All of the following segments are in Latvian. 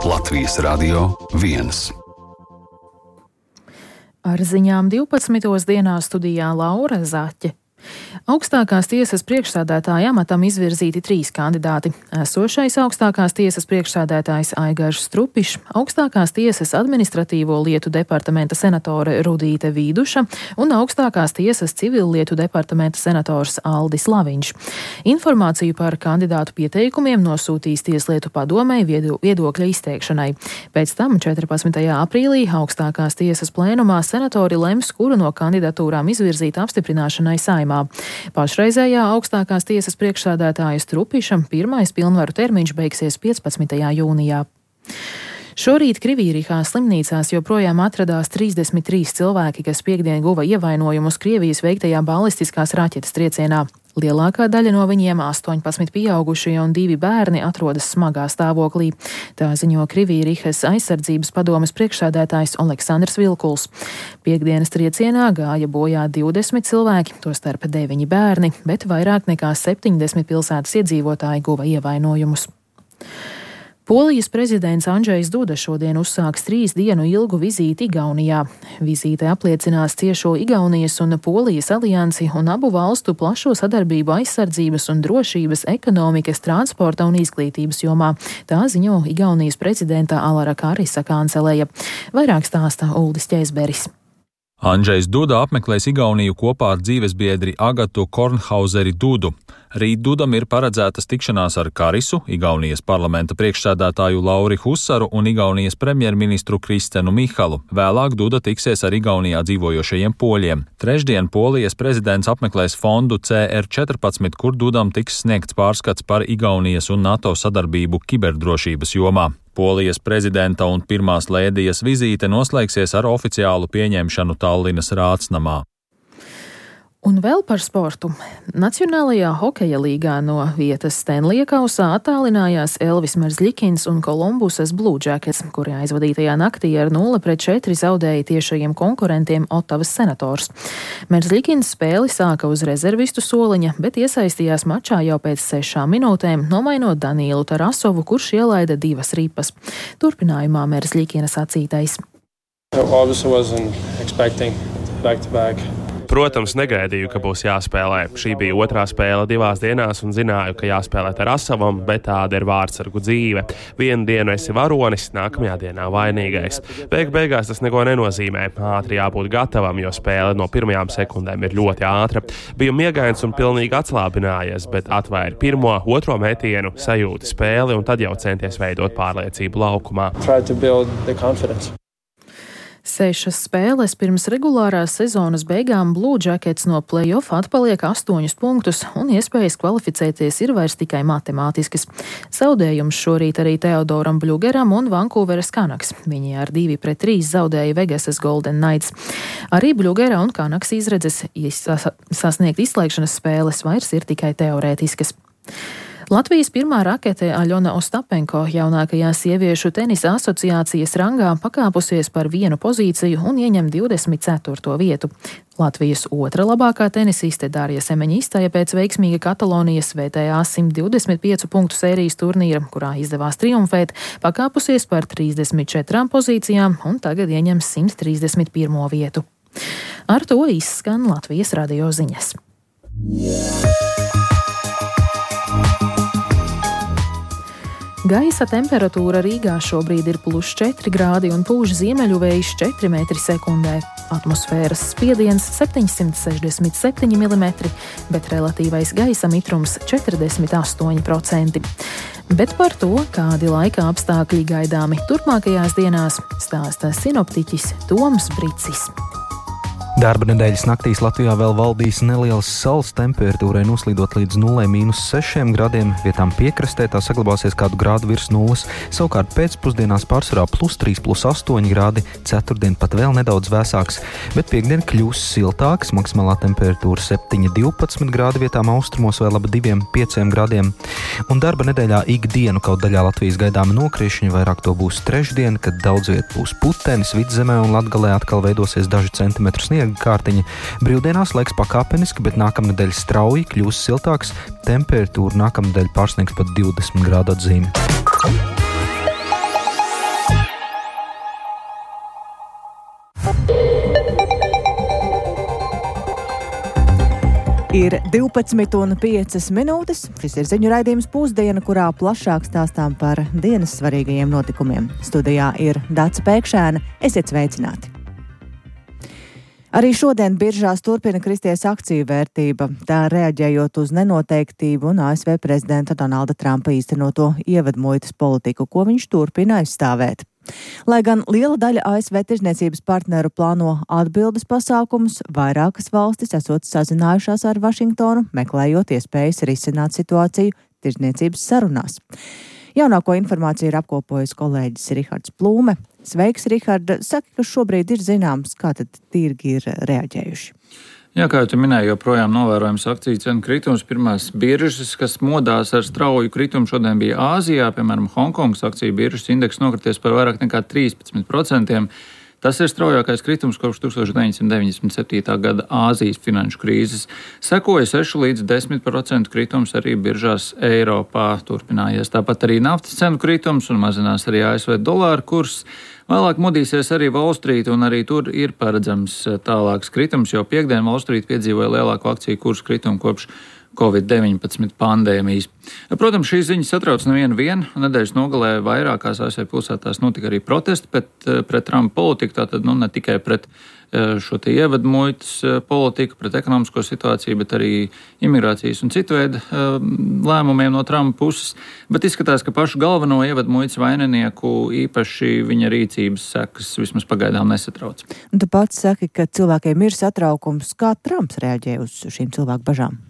Latvijas Radio 1. Ar ziņām 12. dienā studijā Laura Zaķe. Augstākās tiesas priekšsēdētāja amatam izvirzīti 3 kandidāti. Esošais augstākās tiesas priekšsēdētājs Aigars Strupišs, augstākās tiesas administratīvo lietu departamenta senatore Rudīte Vīduša un augstākās tiesas civillietu departamenta senators Aldis Laviņš. Informāciju par kandidātu pieteikumiem nosūtīs Tieslietu padomei viedokļa izteikšanai. Pēc tam 14. aprīlī augstākās tiesas plēnumā senatori lems, kuru no kandidatūrām izvirzīt apstiprināšanai Saeimā. Pašreizējā augstākās tiesas priekšsēdētāja Strupišam pirmais pilnvaru termiņš beigsies 15. jūnijā. Šorīt Krivīrihā slimnīcās joprojām atradās 33 cilvēki, kas piektdien guva ievainojumus Krievijas veiktajā balistiskās raķetes triecienā. Lielākā daļa no viņiem, 18 pieaugušie un 2 bērni, atrodas smagā stāvoklī. Tā ziņo Krivīrihas aizsardzības padomes priekšsēdētājs Oleksandrs Vilkuls. Piektdienas triecienā gāja bojā 20 cilvēki, tostarp 9 bērni, bet vairāk nekā 70 pilsētas iedzīvotāji guva ievainojumus. Polijas prezidents Andžejs Duda šodien uzsāks 3 dienu ilgu vizīti Igaunijā. Vizīte apliecinās ciešo Igaunijas un Polijas aliansi un abu valstu plašo sadarbību aizsardzības un drošības, ekonomikas, transporta un izglītības jomā. Tā ziņo Igaunijas prezidenta Alara Karisa kanceleja. Vairāk stāsta Uldis Ķēzberis. Andžejs Duda apmeklēs Igauniju kopā ar dzīvesbiedri Agatu Kornhauzeri Dudu. Rīt Dudam ir paredzētas tikšanās ar Karisu, Igaunijas parlamenta priekšsēdētāju Lauri Husaru un Igaunijas premjerministru Kristenu Mihalu. Vēlāk Duda tiksies ar Igaunijā dzīvojošajiem poļiem. Trešdien Polijas prezidents apmeklēs fondu CR14, kur Dudam tiks sniegts pārskats par Igaunijas un NATO sadarbību kiberdrošības jomā. Polijas prezidenta un pirmās lēdijas vizīte noslēgsies ar oficiālu pieņemšanu Tallinas Rātsnamā. Un vēl par sportu. Nacionālajā hokeja līgā no vietas Stanlija kausā attālinājās Elvis Merzlikins un Kolumbusas Blue Jackets, kuri aizvadītajā naktī ar 0-4 zaudēja tiešajiem konkurentiem Ottavas Senators. Merzlikins spēli sāka uz rezervistu soliņa, bet iesaistījās mačā jau pēc 6 minūtēm, nomainot Danielu Tarasovu, kurš ielaida 2 ripas. Turpinājumā Merzlikina sacītais. Protams, negaidīju, ka būs jāspēlē. Šī bija otrā spēle 2 dienās un zināju, ka jāspēlē Tarasovam, bet tāda ir vārdsargu dzīve. Vienu dienu esi varonis, nākamajā dienā vainīgais. Beigās tas neko nenozīmē. Ātri jābūt gatavam, jo spēle no pirmajām sekundēm ir ļoti ātra. Biju miegains un pilnīgi atslābinājies, bet atvēri 1., 2. metienu, sajūti spēli un tad jau centies veidot pārliecību laukumā. 6 spēles pirms regulārās sezonas beigām Blue Jackets no play-off atpaliek 8 punktus, un iespējas kvalificēties ir vairs tikai matemātiskas. Zaudējums šorīt arī Teodoram Bļugeram un Vankūveras Canucks. Viņi ar 2-3 zaudēja Vegasas Golden Knights. Arī Bļugera un Canucks izredzes sasniegt izslēgšanas spēles vairs ir tikai teorētiskas. Latvijas pirmā rakete Aļona Ostapenko jaunākajā sieviešu tenisa asociācijas rangā pakāpusies par 1 pozīciju un ieņem 24. vietu. Latvijas otra labākā tenisiste Dārija Semeņa pēc veiksmīga Katalonijas VTA 125 punktu sērijas turnīra, kurā izdevās triumfēt, pakāpusies par 34 pozīcijām un tagad ieņem 131. vietu. Ar to izskan Latvijas radio ziņas. Gaisa temperatūra Rīgā šobrīd ir +4 grādi un pūš ziemeļu vējš 4 metri sekundē. Atmosfēras spiediens 767 mm, bet relatīvais gaisa mitrums 48%. Bet par to, kādi laika apstākļi gaidāmi turpmākajās dienās, stāsta sinoptiķis Toms Bricis. Darba nedēļas naktīs Latvijā vēl valdīs nelielas saules, temperatūrai noslīdot līdz 0-6 grādiem, vietām piekrastē tā saglabāsies kādu grādu virs nulles, savukārt pēcpusdienās pārsvarā +3, +8 grādi, ceturtdien pat vēl nedaudz vēsāks, bet piekdien kļūs siltāks, maksimālā temperatūra 7-12 grādi, vietām austrumos vēl ap 2-5 grādiem. Un darba nedēļā ikdienu kaut daļā Latvijas gaidāmi nokrišņi, vairāk to būs trešdien, kad daudz viet būs putenis, Vidzemē un Latgalē atkal veidosies daži centimetru sniega kārtiņa. Brīvdienās laiks pakāpeniski, bet nākamnedēļ strauji kļūs siltāks, temperatūra nākamnedēļ pārsniegs pat 20 grādu atzīmi. Ir 12,5 minūtes. Šis ir ziņu raidījums Pusdiena, kurā plašāk stāstām par dienas svarīgajiem notikumiem. Studijā ir Dace Pēkšēna. Esiet sveicināti! Arī šodien biržās turpina kristies akciju vērtība, tā reaģējot uz nenoteiktību un ASV prezidenta Donalda Trumpa īstenoto ievadmuitas politiku, ko viņš turpina aizstāvēt. Lai gan liela daļa ASV tirzniecības partneru plāno atbildes pasākumus, vairākas valstis esot sazinājušās ar Vašingtonu, meklējot iespējas risināt situāciju tirzniecības sarunās. Jaunāko informāciju ir apkopojis kolēģis Rihards Plūme. Sveiks, Rihard! Saki, kas šobrīd ir zināms, kā tad tirgi ir reaģējuši? Jā, kā jau tu minēji, joprojām novērojams akciju cenu kritums. Pirmās biržas, kas modās ar strauju kritumu, šodien bija Āzijā, piemēram, Hongkongas akciju biržas indeks nokrities par vairāk nekā 13%. Tas ir straujākais kritums kopš 1997. gada Āzijas finanšu krīzes. Sekoja 6 līdz 10% kritums arī biržās Eiropā turpinājies. Tāpat arī naftas cenu kritums un mazinās arī ASV dolāra kurs. Vēlāk modīsies arī Wall Street, un arī tur ir paredzams tālāks kritums, jo piekdien Wall Street piedzīvoja lielāko akciju kursu kritumu kopš Covid-19 pandēmijas. Protams, šīs ziņas satrauc nevienu. Nedēļas nogalē vairākās ASV pilsētās notika arī protesti pret Trumpa politiku, tātad ne tikai pret šo te ievadmuitas politiku, pret ekonomisko situāciju, bet arī imigrācijas un citu veidu lēmumiem no Trumpa puses. Bet izskatās, ka pašu galveno ievadmuitas vaininieku īpaši viņa rīcības sekas vismaz pagaidām nesatrauc. Un tu pats saki, ka cilvēkiem ir satraukums. Kā Trumps reaģē uz šīm cilvēku bažām?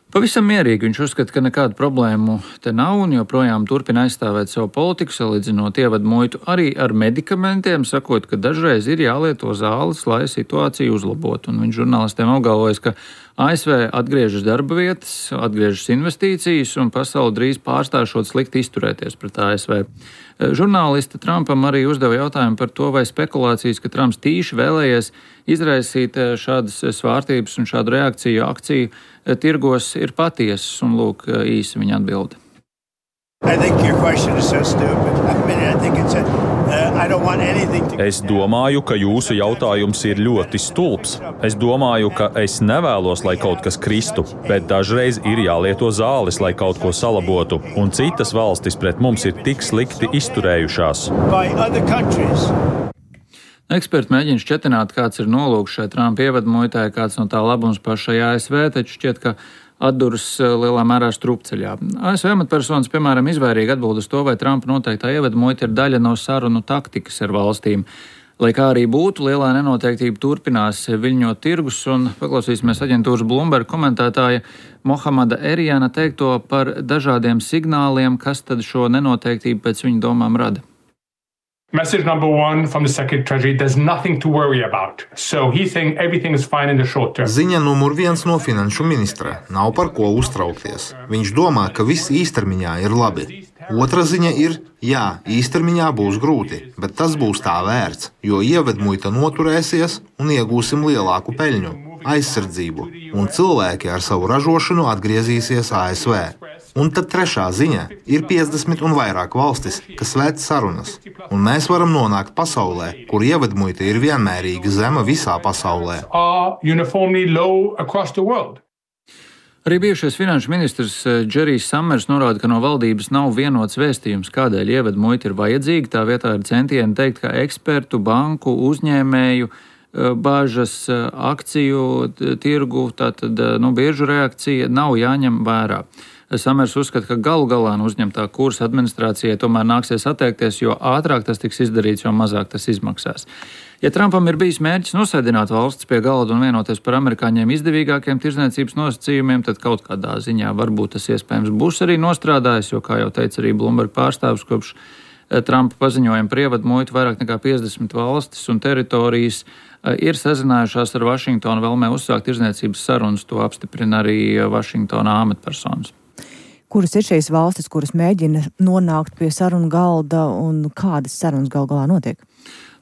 Pavisam mierīgi. Viņš uzskata, ka nekādu problēmu te nav un joprojām turpina aizstāvēt savu politiku, salīdzinot ievadmuitu arī ar medikamentiem, sakot, ka dažreiz ir jālieto zāles, lai situāciju uzlabotu. Un viņš žurnālistiem apgalvojas, ka ASV atgriežas darba vietas, atgriežas investīcijas un pasauli drīz pārstāšot slikti izturēties pret ASV. Žurnālisti Trumpam arī uzdeva jautājumu par to, vai spekulācijas, ka Trumps tīši vēlējies izraisīt šādas svārstības un šādu reakciju akciju tirgos ir patiesas, un lūk īsi viņa atbilde. Es domāju, ka jūsu jautājums ir ļoti stulbs. Es domāju, ka es nevēlos, lai kaut kas kristu, bet dažreiz ir jālieto zāles, lai kaut ko salabotu, un citas valstis pret mums ir tik slikti izturējušās. Eksperti mēģina šķetināt, kāds ir nolūks šai Trumpa ievadmuitai, kāds no tā labums pašai ASV, taču šķiet, ka atduras lielā mērā strupceļā. ASV amatpersonas, piemēram, izvairīgi atbild uz to, vai Trumpa noteiktā ievadmuita ir daļa no sarunu taktikas ar valstīm. Lai kā arī būtu, lielā nenoteiktība turpinās viļņot tirgus, un paklausīsimies aģentūras Bloomberg komentētāja Mohamada Eriana teikto par dažādiem signāliem, kas tad šo nenoteiktību pēc viņa domām rada. Message number one from the Secretary of Treasury, there's nothing to worry about. So he thinks everything is fine in the short term. Ziņa numur 1 no finanšu ministra. Nav par ko uztraukties. Viņš domā, ka viss īstermiņā ir labi. Otra ziņa ir, jā, īstermiņā būs grūti, bet tas būs tā vērts, jo ievedmuita noturēsies un iegūsim lielāku peļņu, aizsardzību, un cilvēki ar savu ražošanu atgriezīsies ASV. Un tad trešā ziņa ir 50 un vairāk valstis, kas vēd sarunas, un mēs varam nonākt pasaulē, kur ievedmuita ir vienmērīgi zema visā pasaulē. Arī bijušais finanšu ministrs Džerijs Samers norāda, ka no valdības nav vienots vēstījums, kādēļ ievedmuita ir vajadzīga. Tā vietā ir centieni teikt, ka ekspertu, banku, uzņēmēju bāžas, akciju tirgu, tātad biržu reakcija nav jāņem vērā. Samers uzskata, ka galu galā no uzņemtā kursa administrācijai tomēr nāksies atteikties, jo ātrāk tas tiks izdarīts, jo mazāk tas izmaksās. Ja Trumpam ir bijis mērķis nosēdināt valsts pie galda un vienoties par amerikāņiem izdevīgākiem tirdzniecības nosacījumiem, tad kaut kādā ziņā varbūt tas iespējams būs arī nostrādājis, jo, kā jau teica arī Bloomberg pārstāvis, kopš Trumpa paziņojuma par ievadmuitu vairāk nekā 50 valstis un teritorijas ir sazinājušās ar Vašingtonu vēlmē uzsākt tirdzniecības sarunas, to apstiprina arī Vašingtonā amatpersonas. Kuras ir šīs valstis, kuras mēģina nonākt pie sarunu galda un kādas sarunas gal galā notiek?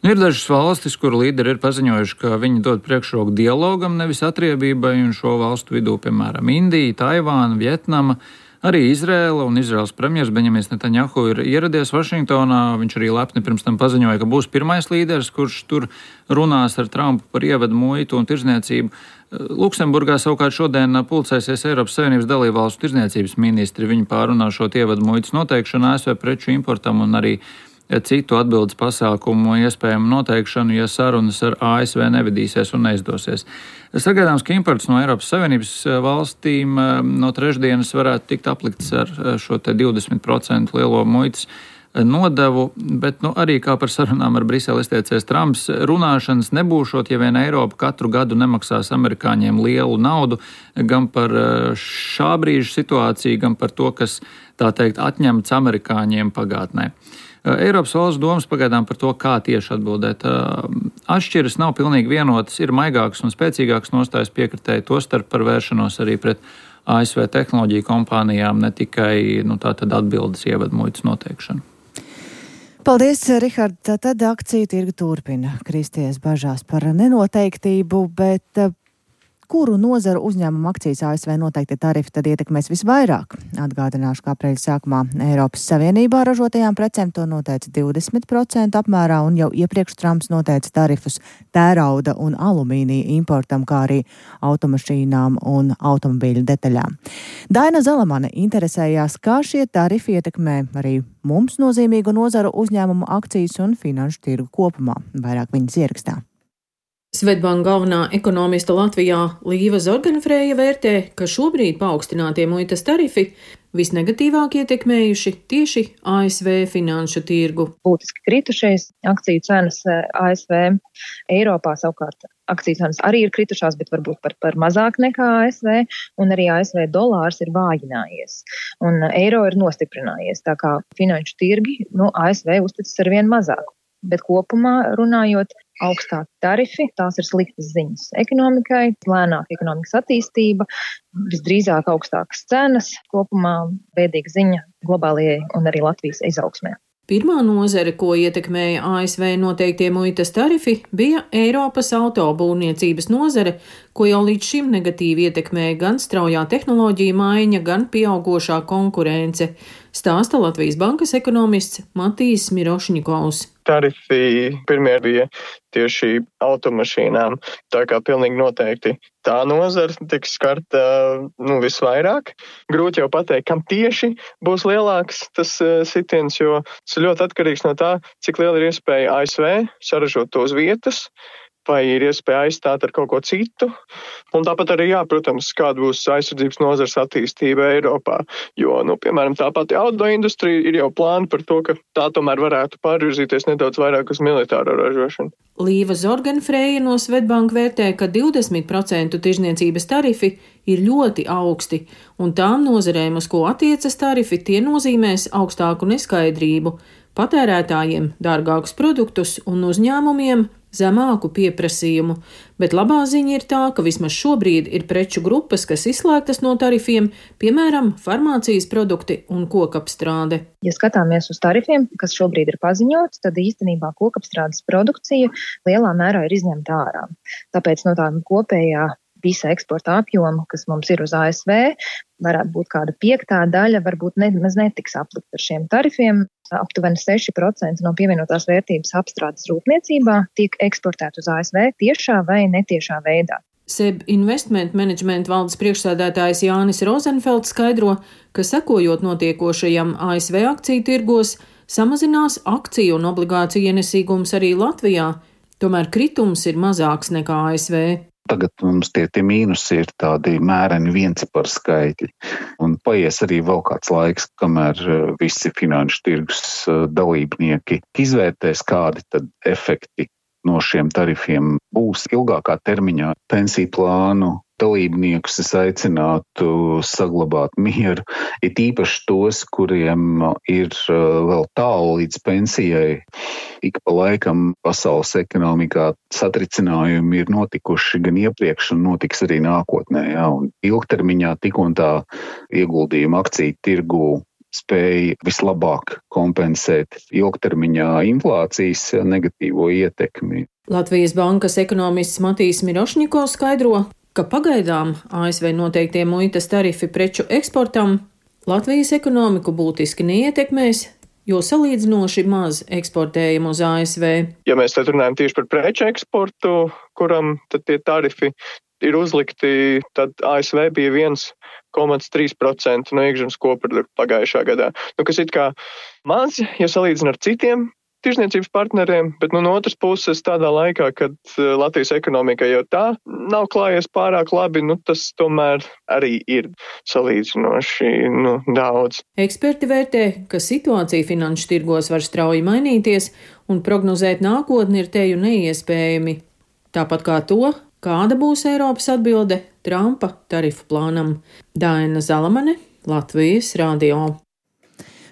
Ir dažas valstis, kuru līderi ir paziņojuši, ka viņi dod priekšroku dialogam, nevis atriebībai, un šo valstu vidū, piemēram, Indija, Taivāna, Vietnama, Arī Izraela un Izraels premjers Benjamins Netanjahu ir ieradies Vašingtonā. Viņš arī lepni pirms tam paziņoja, ka būs pirmais līderis, kurš tur runās ar Trumpu par ievedu muitu un tirdzniecību. Luksemburgā savukārt šodien pulcēsies Eiropas Savienības dalībvalstu tirdzniecības ministri. Viņi pārunās šo ievedu muitas noteikšanu ASV preču importam un arī citu atbildes pasākumu iespējamu noteikšanu, ja sarunas ar ASV nevedīsies un neizdosies. Sagaidāms, ka imports no Eiropas Savienības valstīm no trešdienas varētu tikt aplikts ar šo te 20% lielo muitas nodevu, bet arī kā par sarunām ar Briseli izteicies Trumps, runāšanas nebūšot, ja vien Eiropa katru gadu nemaksās amerikāņiem lielu naudu gan par šā brīža situāciju, gan par to, kas, tā teikt, atņemts amerikāņiem pagātnē. Eiropas valsts domas pagaidām par to, kā tieši atbildēt. Atšķiras nav pilnīgi vienotas, ir maigākas un spēcīgākas nostājas piekritēji, tostarp par vēršanos arī pret ASV tehnoloģiju kompānijām, ne tikai tātad atbildes ievedu muitas noteikšanu. Paldies, Rihard. Tad akciju tirgu turpina kristies bažās par nenoteiktību, bet kuru nozaru uzņēmumu akcijas ASV noteikti tarifi tad ietekmēs visvairāk? Atgādināšu, ka aprīļa sākumā Eiropas Savienībā ražotajām precēm to noteica 20% apmērā, un jau iepriekš Trumps noteica tarifus tērauda un alumīnija importam, kā arī automašīnām un automobīļu detaļām. Daina Zalamane interesējās, kā šie tarifi ietekmē arī mums nozīmīgu nozaru uzņēmumu akcijas un finanšu tirgu kopumā. Vairāk viņas ierakstā. Swedbank galvenā ekonomista Latvijā Līva Zorganfrēja vērtē, ka šobrīd paaugstinātie muitas tarifi visnegatīvāk ietekmējuši tieši ASV finanšu tirgu. Būtiski kritušies akciju cenas ASV, Eiropā savukārt akciju cenas arī ir kritušās, bet varbūt par mazāk nekā ASV, un arī ASV dolārs ir vājinājies, un eiro ir nostiprinājies, tā kā finanšu tirgi ASV uzticas arvien mazāk. Bet kopumā runājot, augstāki tarifi, tās ir sliktas ziņas ekonomikai, lēnāka ekonomikas attīstība, visdrīzāk augstākas cenas, kopumā bēdīga ziņa globālajai un arī Latvijas izaugsmē. Pirmā nozare, ko ietekmēja ASV noteiktie muitas tarifi, bija Eiropas autobūvniecības nozare, ko jau līdz šim negatīvi ietekmēja gan straujā tehnoloģija maiņa, gan pieaugošā konkurence, stāsta Latvijas bankas ekonomists Matijs Mirošņikovs. Tarifi pirmie bija tieši automašīnām, tā kā pilnīgi noteikti tā nozara tiks skarta visvairāk. Grūti jau pateikt, kam tieši būs lielāks tas sitiens, jo tas ir ļoti atkarīgs no tā, cik liela ir iespēja ASV saražot to uz vietas, vai ir iespēja aizstāt ar kaut ko citu. Un tāpat arī, protams, kāda būs aizsardzības nozares attīstība Eiropā. Jo, piemēram, tā pati autoindustrija ir jau plāni par to, ka tā tomēr varētu pārvirzīties nedaudz vairāk uz militāro ražošanu. Līva Zorganfrēja no Swedbank vērtē, ka 20% tirzniecības tarifi ir ļoti augsti, un tām nozarēm, uz ko attiecas tarifi, tie nozīmēs augstāku neskaidrību, patērētājiem dārgākus produktus un uzņēmumiem zemāku pieprasījumu, bet labā ziņa ir tā, ka vismaz šobrīd ir preču grupas, kas izslēgtas no tarifiem, piemēram, farmācijas produkti un kokapstrāde. Ja skatāmies uz tarifiem, kas šobrīd ir paziņots, tad īstenībā kokapstrādes produkcija lielā mērā ir izņemta ārā. Tāpēc no tā kopējā visa eksporta apjoma, kas mums ir uz ASV, varētu būt kāda 5. daļa, varbūt nemaz netiks aplikt ar šiem tarifiem. Aptuveni 6% no pievienotās vērtības apstrādes rūpniecībā tiek eksportēt uz ASV tiešā vai netiešā veidā. SEB Investment Management valdes priekšsēdētājs Jānis Rozenfelds skaidro, ka sekojot notiekošajam ASV akciju tirgos, samazinās akciju un obligāciju ienesīgums arī Latvijā, tomēr kritums ir mazāks nekā ASV. Tagad mums tie mīnusi ir tādi mēreni viencipari skaitļi. Un paies arī vēl kāds laiks, kamēr visi finanšu tirgus dalībnieki izvērtēs, kādi tad efekti no šiem tarifiem būs ilgākā termiņā. Pensiju plānu dalībniekus es aicinātu saglabāt mieru, it īpaši tos, kuriem ir vēl tālu līdz pensijai. Ik pa laikam pasaules ekonomikā satricinājumi ir notikuši gan iepriekš un notiks arī nākotnē. Un ilgtermiņā tik un tā ieguldījuma akciju tirgū spēja vislabāk kompensēt ilgtermiņā inflācijas negatīvo ietekmi. Latvijas bankas ekonomists Matijs Mirošņikovs skaidro, ka pagaidām ASV noteiktie muitas tarifi preču eksportam Latvijas ekonomiku būtiski neietekmēs, jo salīdzinoši maz eksportējam uz ASV. Ja mēs tad runājam tieši par preču eksportu, kuram tad tie tarifi ir uzlikti, tad ASV bija 1,3% no iekšzemes koprodukta pagājušā gadā. Kas it kā maz, ja salīdzina ar citiem tirzniecības partneriem, bet no otras puses tādā laikā, kad Latvijas ekonomika jau tā nav klājies pārāk labi, tas tomēr arī ir salīdzinoši daudz. Eksperti vērtē, ka situācija finanšu tirgos var strauji mainīties un prognozēt nākotni ir teju neiespējami. Tāpat kā to, kāda būs Eiropas atbilde Trumpa tarifu plānam. Daina Zalamane, Latvijas radio.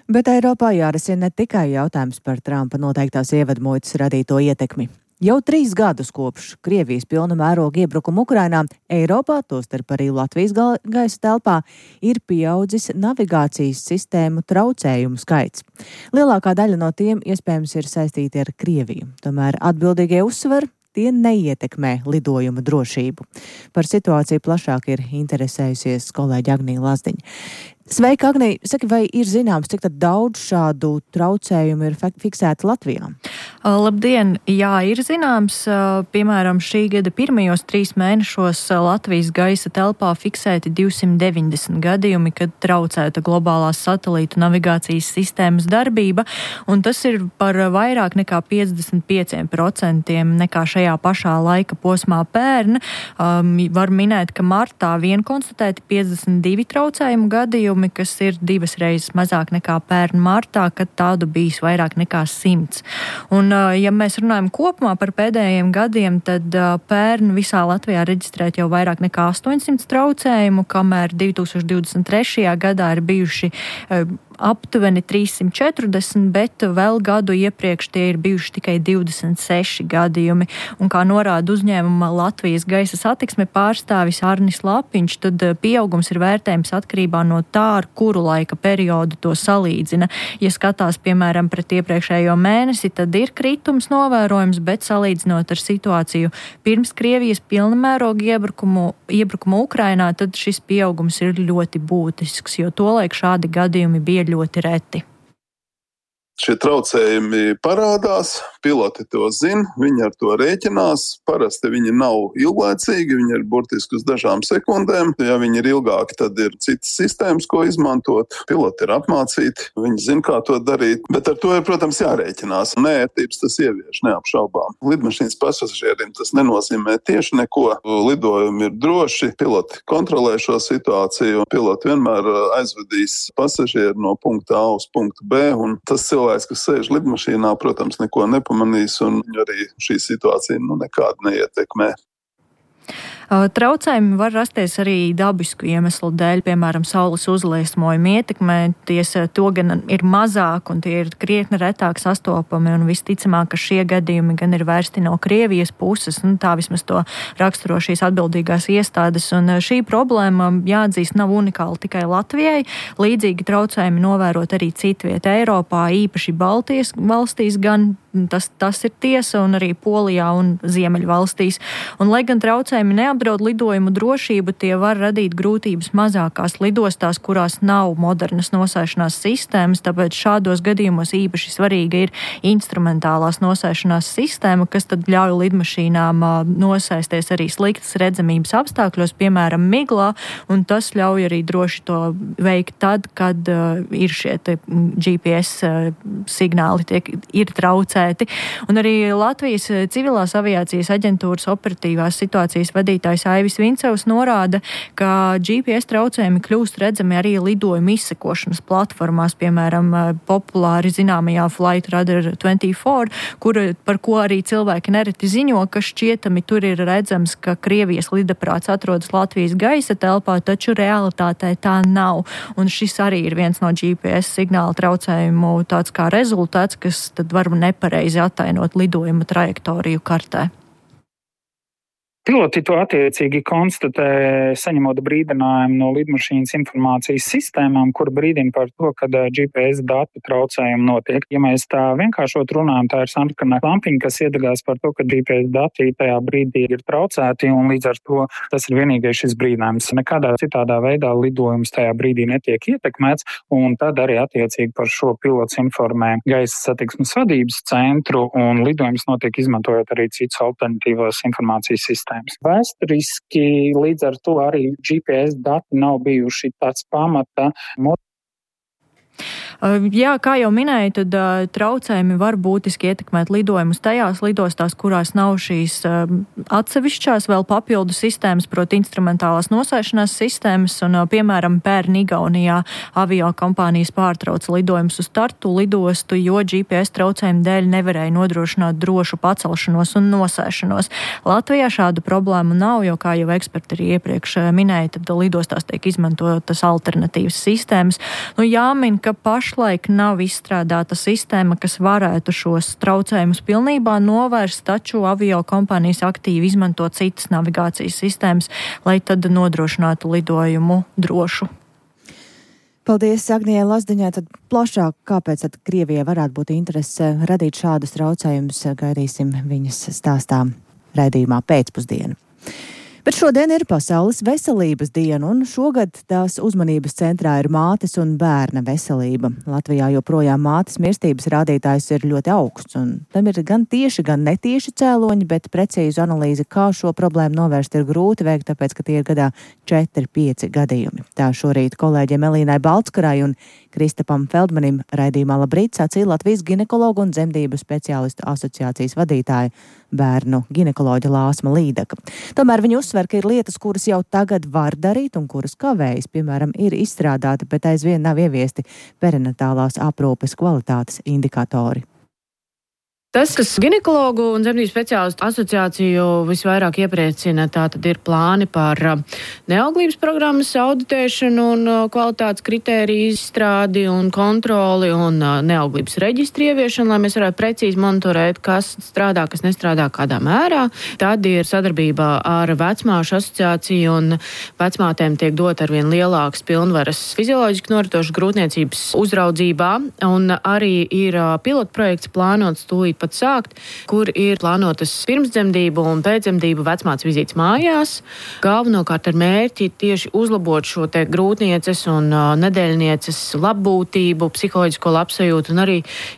Bet Eiropā jārisina ne tikai jautājums par Trumpa noteiktās ievedmuitas radīto ietekmi. Jau 3 gadus kopš Krievijas pilna mēroga iebrukuma Ukrainā, Eiropā, tostarp arī Latvijas gaisa telpā, ir pieaudzis navigācijas sistēmu traucējumu skaits. Lielākā daļa no tiem iespējams ir saistīti ar Krieviju. Tomēr atbildīgie uzsver, tie neietekmē lidojumu drošību. Par situāciju plašāk ir interesējusies kolēģi Agnija Lazdiņa. Sveika, Agnija! Saki, vai ir zināms, cik daudz šādu traucējumu ir fiksēti Latvijā? Labdien! Jā, ir zināms. Piemēram, šī gada pirmajos 3 mēnešos Latvijas gaisa telpā fiksēti 290 gadījumi, kad traucēta globālās satelītu navigācijas sistēmas darbība, un tas ir par vairāk nekā 55% nekā šajā pašā laika posmā pērn. Var minēt, ka martā vien konstatēti 52 traucējumu gadījumi, kas ir 2 reizes mazāk nekā pērn martā, kad tādu bijis vairāk nekā 100. Un, ja mēs runājam kopumā par pēdējiem gadiem, tad pērn visā Latvijā reģistrēt jau vairāk nekā 800 traucējumu, kamēr 2023. gadā ir bijuši aptuveni 340, bet vēl gadu iepriekš tie ir bijuši tikai 26 gadījumi. Un kā norāda uzņēmuma Latvijas gaisa satiksme pārstāvis Arnis Lapiņš, tad pieaugums ir vērtējums atkarībā no tā, ar kuru laika periodu to salīdzina. Ja skatās, piemēram, pret iepriekšējo mēnesi, tad ir kritums novērojams, bet salīdzinot ar situāciju pirms Krievijas pilnamēroga iebrukuma Ukrainā, tad šis pieaugums ir ļoti būtisks, jo tolaik šādi gadījumi bija ļoti reti. Šie traucējumi parādās, piloti to zina, viņi ar to rēķinās. Parasti viņi nav ilglaicīgi, viņi ir burtiski uz dažām sekundēm. Ja viņi ir ilgāki, tad ir citas sistēmas, ko izmantot. Piloti ir apmācīti, viņi zina, kā to darīt, bet ar to ir, protams, jārēķinās. Nērtības tas ievieš, neapšaubām. Lidmašīnas pasažieriem tas nenozīmē tieši neko. Lidojumi ir droši, piloti kontrolē šo situāciju, piloti vienmēr aizvedīs pasažieru no punkta A uz punktu B, un tas cilvēks, kas sēž lidmašīnā, protams, neko nepamanīs, un arī šī situācija nekādu neietekmē. Traucējumi var rasties arī dabisku iemeslu dēļ, piemēram, saules uzliesmojuma ietekmē. To gan ir mazāk un tie ir krietni retāk sastopami, un visticamāk, ka šie gadījumi gan ir vērsti no Krievijas puses, un tā vismaz to raksturo šīs atbildīgās iestādes. Un šī problēma, jāatzīst, nav unikāla tikai Latvijai. Līdzīgi traucējumi novērot arī citviet Eiropā, īpaši Baltijas valstīs, gan tas ir tiesa, un arī Polijā un Ziemeļvalstīs. Un, lai gan traucējumi neapdraud lidojumu drošību, tie var radīt grūtības mazākās lidostās, kurās nav modernas nosēšanās sistēmas, tāpēc šādos gadījumos īpaši svarīga ir instrumentālās nosēšanās sistēma, kas tad ļauj lidmašīnām nosēsties arī sliktas redzamības apstākļos, piemēram, miglā, un tas ļauj arī droši to veikt tad, kad ir šie GPS signāli ir traucēti. Un arī Latvijas civilās aviācijas aģentūras operatīvās situācijas vadītājs Aivis Vincevs norāda, ka GPS traucējumi kļūst redzami arī lidojumu izsekošanas platformās, piemēram, populāri zināmajā Flight Radar 24, par ko arī cilvēki nereti ziņo, ka šķietami tur ir redzams, ka Krievijas lidaprāts atrodas Latvijas gaisa telpā, taču realitātē tā nav. Un šis arī ir viens no GPS signāla traucējumu tāds kā rezultāts, kas tad var nepareizi attainot lidojuma trajektoriju kartē. Piloti to attiecīgi konstatē, saņemot brīdinājumu no lidmašīnas informācijas sistēmām, kur brīdina par to, kad GPS datu traucējumi notiek. Ja mēs tā vienkāršot runājam, tā ir sarkanā lampiņa, kas iedegās par to, ka GPS dati tajā brīdī ir traucēti, un līdz ar to tas ir vienīgais šis brīdinājums. Nekādā citādā veidā lidojums tajā brīdī netiek ietekmēts, un tad arī attiecīgi par šo pilots informē gaisa satiksmes vadības centru, un lidojums notiek izmantojot arī citas alternatīvās informācijas sistēmas. Vēsturiski līdz ar to arī GPS dati nav bijuši tāds pamata. Jā, kā jau minēju, tad traucējumi var būtiski ietekmēt lidojumus tajās lidostās, kurās nav šīs atsevišķās vēl papildu sistēmas, proti instrumentālās nosēšanās sistēmas, un, piemēram, pērn Igaunijā avio kompānijas pārtrauca lidojumus uz Tartu lidostu, jo GPS traucējumu dēļ nevarēja nodrošināt drošu pacelšanos un nosēšanos. Latvijā šādu problēmu nav, jo, kā jau eksperti arī iepriekš minēja, tad lidostās tiek izmantotas alternatīvas sistēmas. Jāmin, ka pašlaik nav izstrādāta sistēma, kas varētu šos traucējumus pilnībā novērst, taču avio kompānijas aktīvi izmanto citas navigācijas sistēmas, lai tad nodrošinātu lidojumu drošu. Paldies Agnijai Lazdiņai. Tad plašāk, kāpēc tad Krievijai varētu būt interese radīt šādus traucējumus, gaidīsim viņas stāstā raidījumā pēcpusdienu. Bet šodien ir Pasaules veselības diena, un šogad tās uzmanības centrā ir mātes un bērna veselība. Latvijā joprojām mātes mirstības rādītājs ir ļoti augsts, un tam ir gan tieši, gan netieši cēloņi, bet precīzu analīzi, kā šo problēmu novērst, ir grūti veikt, tāpēc, ka tie ir gadā 4-5 gadījumi. Tā šorīt kolēģiem Elīnai Baltskarai un Kristapam Feldmanim raidījumā Labrīt sacīja Latvijas ginekologu un dzemdību speciālistu asociācijas vadītāja bērnu ginekoloģa Lāsma Līdaka. Tomēr viņi uzsver, ka ir lietas, kuras jau tagad var darīt un kuras kavējas, piemēram, ir izstrādāti, bet aizvien nav ieviesti perinatālās aprūpes kvalitātes indikatori. Tas, kas ginekologu un dzemdību speciālistu asociāciju visvairāk iepriecina, tātad ir plāni par neauglības programmas auditēšanu un kvalitātes kritēriju izstrādi un kontroli un neauglības reģistru ieviešanu, lai mēs varētu precīzi monitorēt, kas strādā, kas nestrādā, kādā mērā. Tad ir sadarbībā ar vecmāšu asociāciju, un vecmātēm tiek dot arvien lielākas pilnvaras fizioloģiski noritošas grūtniecības uzraudzībā, un arī ir pilotprojekts plānots tūlīt sākt, kur ir plānotas pirmsdzemdību un pēcdzemdību vecmātes vizītes mājās. Galvenokārt ar mērķi tieši uzlabot šo te grūtnieces un nedēļnieces labbūtību, psiholoģisko labsajūtu un arī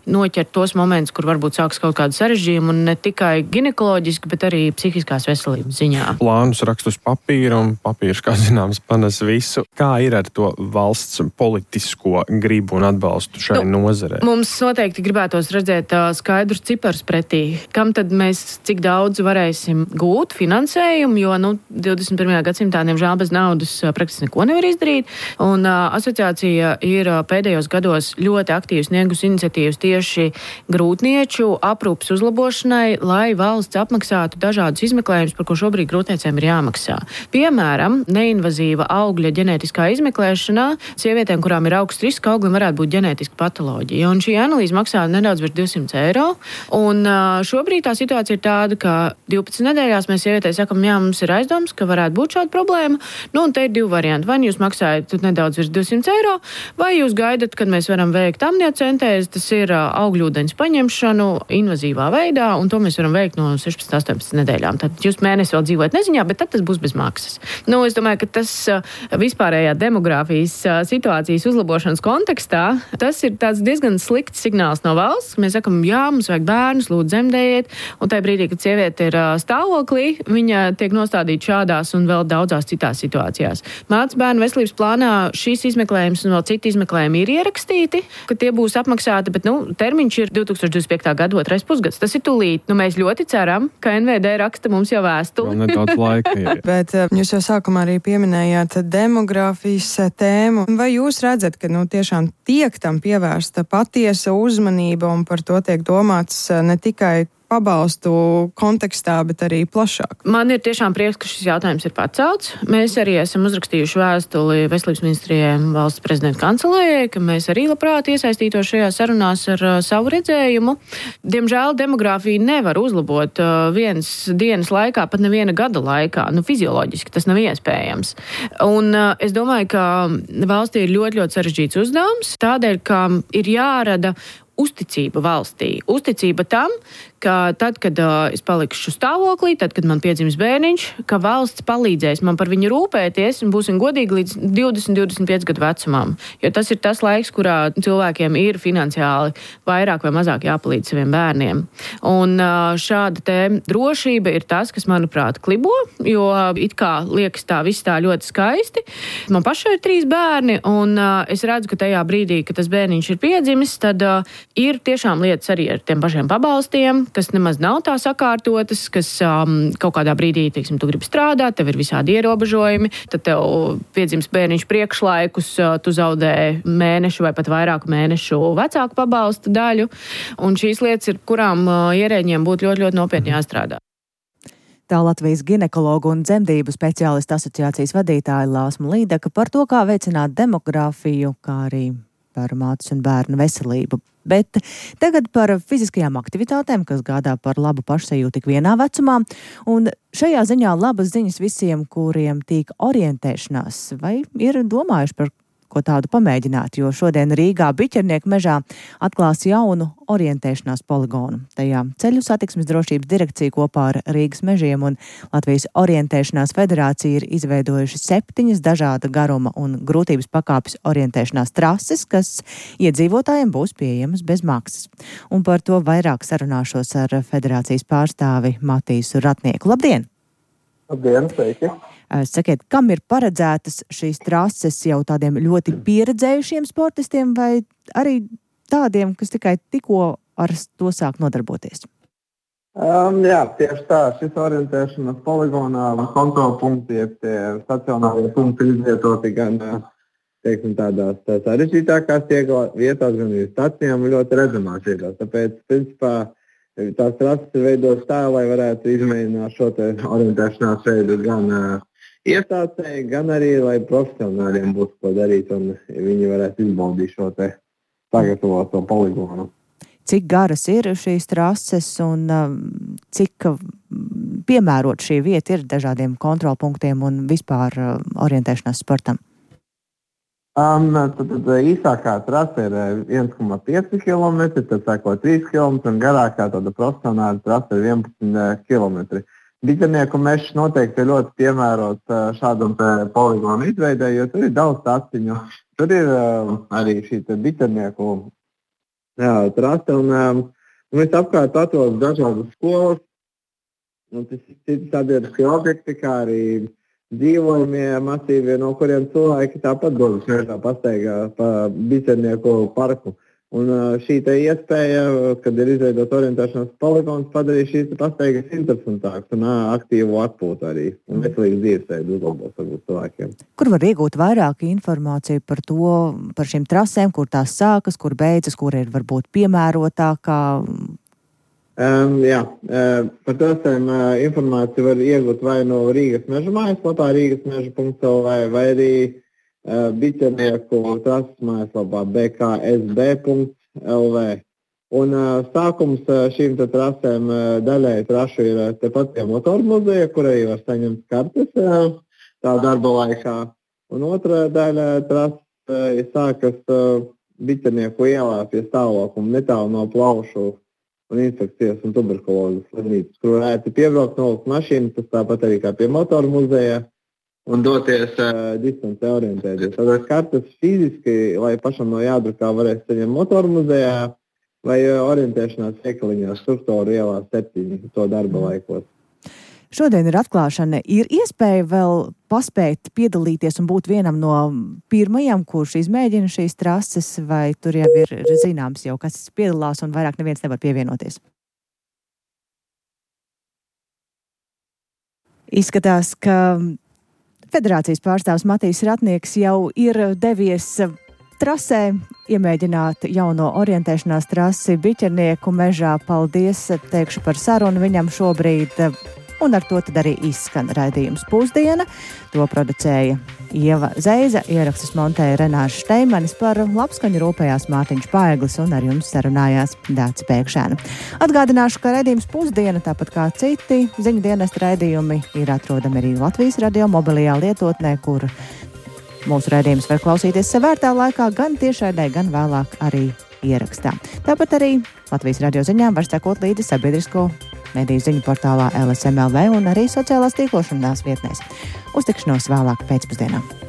noķert tos momentus, kur varbūt sāks kaut kādu sarežģījumu un ne tikai ginekoloģiski, bet arī psihiskās veselības ziņā. Plānus rakst uz papīra, un papīrs, kā zināms, panes visu. Kā ir ar to valsts politisko gribu un atbalstu šai nozarei? Mums noteikti gribētos redzēt skaidrus cipars pretī, kam tad mēs cik daudz varēsim gūt finansējumu, jo 21. gadsimtā, diemžēl, bez naudas praktiski neko nevar izdarīt. Un asociācija ir pēdējos gados ļoti aktīvi sniegusi iniciatīvas tieši grūtnieču aprūpes uzlabošanai, lai valsts apmaksātu dažādus izmeklējumus, par ko šobrīd grūtniecēm ir jāmaksā. Piemēram, neinvazīva augļa ģenētiskā izmeklēšanā sievietēm, kurām ir augsts risks auglim, varētu būt ģenētiska patoloģija. Un šī analīze maksā nedaudz virs 200 eiro. Un šobrīd tā situācija ir tāda, ka 12 nedēļās mēs sievietei sakam, jā, mums ir aizdoms, ka varētu būt šāda problēma. Un te ir divi varianti. Vai jūs maksājat nedaudz virs 200 eiro, vai jūs gaidat, kad mēs varam veikt amniocentēzi, tas ir augļūdeņas paņemšanu invazīvā veidā, un to mēs varam veikt no 16-18 nedēļām. Tad jūs mēnesi vēl dzīvojat neziņā, bet tad tas būs bez maksas. Es domāju, ka tas vispārējā demogrāfijas situācijas uzlabošanas kontekstā, tas ir tāds diezgan slikts signāls no valsts. Mēs sakam, jā, mums vajag bērnus, lūdzu dzemdējiet, un tajā brīdī, kad sieviete ir stāvoklī, viņa tiek nostādīta šādās un vēl daudzās citās situācijās. Mātes bērnu veselības plānā šīs izmeklējums un vēl citi izmeklējumi ir ierakstīti, ka tie būs apmaksāti, bet termiņš ir 2025. gada 2. pusgads. Tas ir tūlīt. Mēs ļoti ceram, ka NVD raksta mums jau vēstuli. Vēl nedaudz laika. Bet jūs jau sākumā arī pieminējāt demogrāfijas tēmu. Vai jūs redzat, ka tiešām tiek tam pievērsta patiesa uzmanība un par to tiek domāts ne tikai pabalstu kontekstā, bet arī plašāk. Man ir tiešām prieks, ka šis jautājums ir pacelts. Mēs arī esam uzrakstījuši vēstuli Veselības ministrijai un valsts prezidenta kancelējai, ka mēs arī labprāt iesaistītos šajā sarunās ar savu redzējumu. Diemžēl demogrāfiju nevar uzlabot vienas dienas laikā, pat neviena gada laikā. Fizioloģiski tas nav iespējams. Un es domāju, ka valstī ir ļoti, ļoti sarežģīts uzdevums, tādēļ, ka ir jārada uzticība valstī. Uzticība tam, ka tad, kad es palikšu stāvoklī, tad, kad man piedzims bērniņš, ka valsts palīdzēs man par viņu rūpēties un būsim godīgi līdz 20-25 gadu vecumam. Jo tas ir tas laiks, kurā cilvēkiem ir finansiāli vairāk vai mazāk jāpalīdz saviem bērniem. Un šāda te drošība ir tas, kas, manuprāt, klibo, jo it kā liekas tā viss tā ļoti skaisti. Man pašai ir 3 bērni, un es redzu, ka tajā brīdī, kad tas bērniņš ir piedzimis, tad ir tiešām lietas arī ar tiem pašiem pabalstiem, kas nemaz nav tā sakārtotas, kas kaut kādā brīdī, teiksim, tu gribi strādāt, tev ir visādi ierobežojumi, tad tev piedzims bērniņš priekšlaikus, tu zaudē mēnešu vai pat vairāku mēnešu vecāku pabalsta daļu, un šīs lietas ir, kurām ierēģiem būtu ļoti, ļoti nopietni jāstrādā. Tā Latvijas ginekologu un dzemdību speciālistu asociācijas vadītāja Lāsma Līdaka par to, kā veicināt demogrāfiju, kā arī par mātes un bērnu veselību. Bet tagad par fiziskajām aktivitātēm, kas gādā par labu pašsajūtu tik vienā vecumā. Un šajā ziņā labas ziņas visiem, kuriem tīk orientēšanās, vai ir domājuši par ko tādu pamēģināt, jo šodien Rīgā Biķernieku mežā atklās jaunu orientēšanās poligonu. Tajā Ceļu satiksmes drošības direkcija kopā ar Rīgas mežiem un Latvijas orientēšanās federācija ir izveidojuši 7 dažāda garuma un grūtības pakāpes orientēšanās trases, kas iedzīvotājiem būs pieejamas bez maksas. Un par to vairāk sarunāšos ar federācijas pārstāvi Matīsu Ratnieku. Labdien! Labdien, sveiki! Sakiet, kam ir paredzētas šīs trases jau tādiem ļoti pieredzējušiem sportistiem vai arī tādiem, kas tikai tikko ar to sāk nodarboties? Jā, tieši tā. Šis orientēšanas poligonā kontrolpunkti, tie stacionārie punkti izvietoti gan, teiksim, tādās sarežģītākās vietās, gan arī stacijām ļoti redzamās vietās. Tāpēc, principā, tās trases ir veidotas tā, lai varētu izmēģināt šo te orientēšanās veidu gan iestācēji, gan arī, lai profesionāļiem būtu ko darīt un viņi varētu izbaudīt šo te sagatavoto poligonu. Cik garas ir šīs trases un cik piemērot šī vieta ir dažādiem kontrolpunktiem un vispār orientēšanās sportam? Tad īsākā trase ir 1,5 km, tad sāko 3 km un garākā tāda profesionāla trase ir 11 km. Biķernieku mežs noteikti ir ļoti piemērots šādam poligonu izveidē, jo tur ir daudz taciņu. Tur ir arī šī biķernieku trase un visapkārt atrodas dažādas skolas. Un tas ir citi sabiedriskie objekti, kā arī dzīvojumie masīvi, no kuriem cilvēki tāpat dodas mežā pastaigā pa biķernieku parku. Un šī te iespēja, kad ir izveidot orientēšanās poligons, padarīja šīs pastaigas interesantākas un aktīvu atpūtu arī un veselīgu dzīvesveidu uzlabos varbūt cilvēkiem. Kur var iegūt vairāk informāciju par to, par šīm trasēm, kur tās sākas, kur beidzas, kur ir varbūt piemērotākā? Par trasēm informāciju var iegūt vai no Rīgas meža mājaslapā, rīgasmeža.lv, vai arī Biķernieku trases mājaslapā bksb.lv. Un sākums šīm trasēm daļai trašu ir tepat pie motoru muzeja, kurai var saņemt kartes tā darba laikā. Un otra daļa trases sākas Biķernieku ielā pie stāvokuma netālu no plaušu un infekcijas un tuberkulozes slimnīcas, kur varētu piebraukt nolikt mašīnu, tas tāpat arī kā pie motoru muzeja. Un doties distancē orientēties. Tātad kartes fiziski, lai pašam no jādrukā varēs saņemt motoru muzejā vai orientēšanās veikaliņā Struktūru ielā 7 to darba laikos. Šodien ir atklāšana. Ir iespēja vēl paspēt piedalīties un būt vienam no pirmajiem, kurš izmēģina šīs trases, vai tur jau ir zināms jau, kas piedalās un vairāk neviens nevar pievienoties? Izskatās, ka federācijas pārstāvs Matīs Ratnieks jau ir devies trasē, iemēģināt jauno orientēšanās trasi Biķernieku mežā. Paldies, teikšu par sarunu viņam šobrīd. Un ar to tad arī izskan raidījums Pusdiena. To producēja Ieva Zeiza, ierakstus montēja Renāša Šteimanis, par labskaņu rūpējās Mārtiņš Paeglis un ar jums sarunājās Dāca Pēkšēna. Atgādināšu, ka raidījums Pusdiena, tāpat kā citi ziņu dienesta raidījumi, ir atrodami arī Latvijas radio mobilajā lietotnē, kur mūsu raidījums var klausīties savērtā laikā, gan tiešraidē, gan vēlāk arī ierakstā. Tāpat arī Latvijas radio ziņām var sekot līdzi sabiedrisko mediju ziņu portālā LSM.LV un arī sociālās tīklošanās vietnēs. Uz tikšanos vēlāk pēcpusdienā.